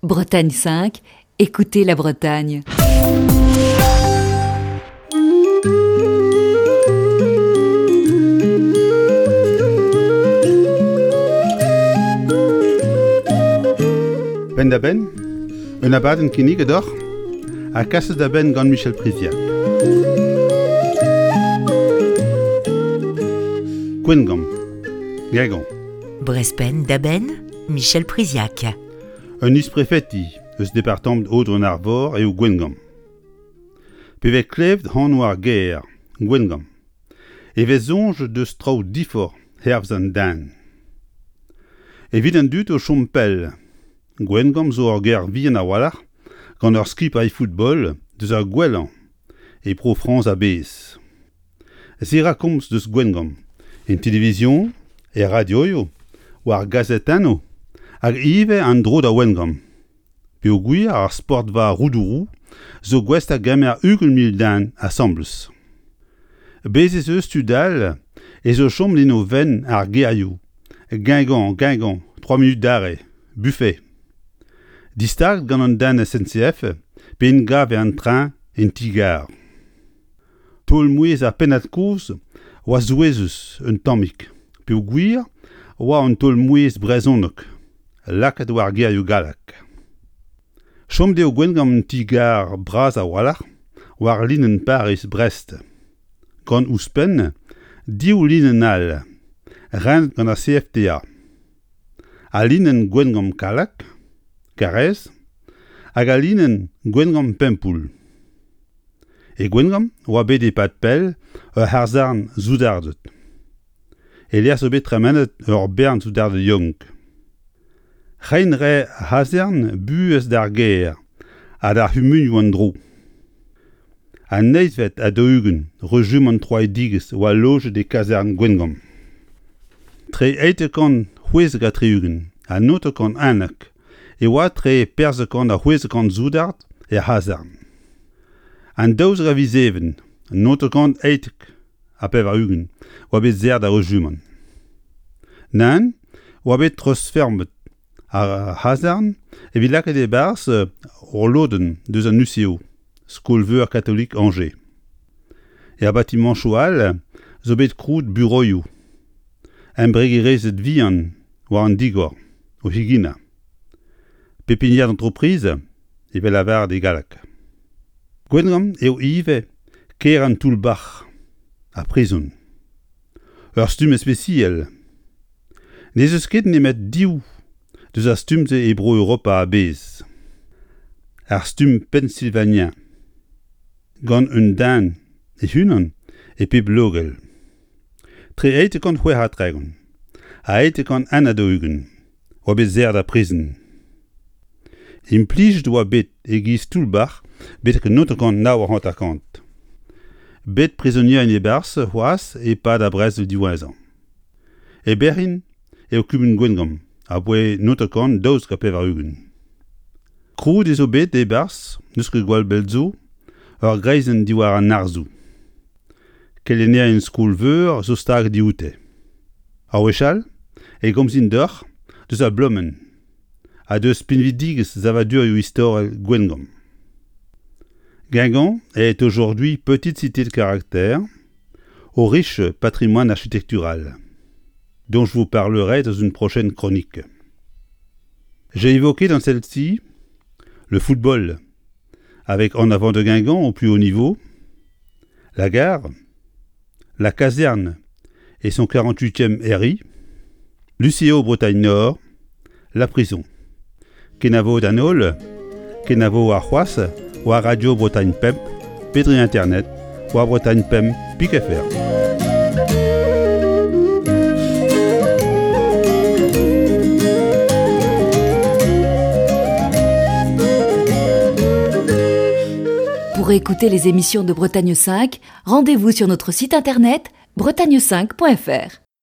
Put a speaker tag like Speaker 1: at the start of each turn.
Speaker 1: Bretagne 5, écoutez la Bretagne.
Speaker 2: Penn-da-benn, un abadenn kinniget deoc'h ha kaset da benn gant Michel Priziac. Gwengamp, Guingamp.
Speaker 3: Brest penn-da-benn, Michel Priziac.
Speaker 2: Un isprefeti eus departamant Aodoù-an-Arvor eo Gwengamp. Pe vez klevet anv ar gêr, Gwengamp, e vez soñj deus traoù diforc'h hervez an den. Evit an dud o chom pell, Gwengamp zo ur gêr vihan a-walc'h gant ur skipailh football deus ar gwellañ e Bro-Frañs a-bezh. Se 'ra komz deus Gwengamp en televizion, er radioioù, war gazetennoù hag ivez an dro da Wengamp. Peogwir ar sportva Roudourou zo gouest da gemer 20 000 den asambles. Bez' ez eus tud all ez o chom en o fenn ar gerioù Guingamp, Guingamp, 3 minutes d'arrêt, buffet. Distaget gant an den SNCF pe en gav en train en ti-gar. Taol-mouezh ar pennad-kozh oa souezhus un tammig peogwir oa un taol-mouezh brezhonek lakaet war gerioù gallek. Chom dezho Gwengamp un ti-gar bras a-walc'h war linenn Pariz-Brest, gant ouzhpenn div linenn all renet gant ar CFTA. Al linenn Gwengamp-Kallag, Karaez, hag al linenn Gwengamp-Pempoull. E Gwengamp oa bet e-pad pell ur c'harzharn soudarded. E-lec'h zo bet tremenet ur bern soudarded yaouank. Reiñ 'rae ar c'hazarn buhez d'ar gêr ha d'ar c'humunioù en-dro. An eizhvet ha 40 rejumant troidigezh oa lojet e kazarn Gwengamp. Tre 876 ha 911 e oa tre 400 ha 600 soudard er c'hazarn. An 12 a viz Even 998 oa bet serret ar rejumant. Nann oa bet treuzfeurmet ar c'hazarn evit lakaat e-barzh ur lodenn deus an UCO, Skol-veur katolik Angers. Er batimañchoù all zo bet krouet buroioù, embregerezed vihan war an digor o c'heginañ. Pépinière d'entreprise evel lavaret e galleg. Gwengamp eo ivez kêr an toull-bac'h, ar prizon. Ur stumm ispisial. N'ez eus ket nemet div deus ar stumm-se e Bro-Europa a-bezh. Ar stumm Pennsylvanien, gant un den e-unan e pep logell. Tre 836 ha 841 oa bet serret ar prizon. Implijet oa bet e-giz toull-bac'h betek 1959. Bet prizonierien e-barzh c'hoazh e-pad ar brezel diwezhañ. E berrin eo kumun Gwengamp aboae 1992. Krouet ez eo bet e-barzh n'eus ket gwall bell zo ur greizenn diwar an arzoù. Kelennerien skol-veur zo stag dioute. Ar wech all e gomzin deoc'h deus ar blomenn ha deus pinvidigezh savadurioù istorel Gwengamp. Guingamp est aujourd'hui petite cité de caractère au riche patrimoine architectural, dont je vous parlerai dans une prochaine chronique. J'ai évoqué dans celle-ci le football, avec En avant de Guingamp au plus haut niveau, la gare, la caserne et son 48e RI, l'UCO Bretagne Nord, la prison. Kenavo d'an holl, kenavo arc'hoazh war Radio Bretagne Pemp pe dre internet war Bretagne Pemp pik FR.
Speaker 1: Pour écouter les émissions de Bretagne 5, rendez-vous sur notre site internet bretagne5.fr.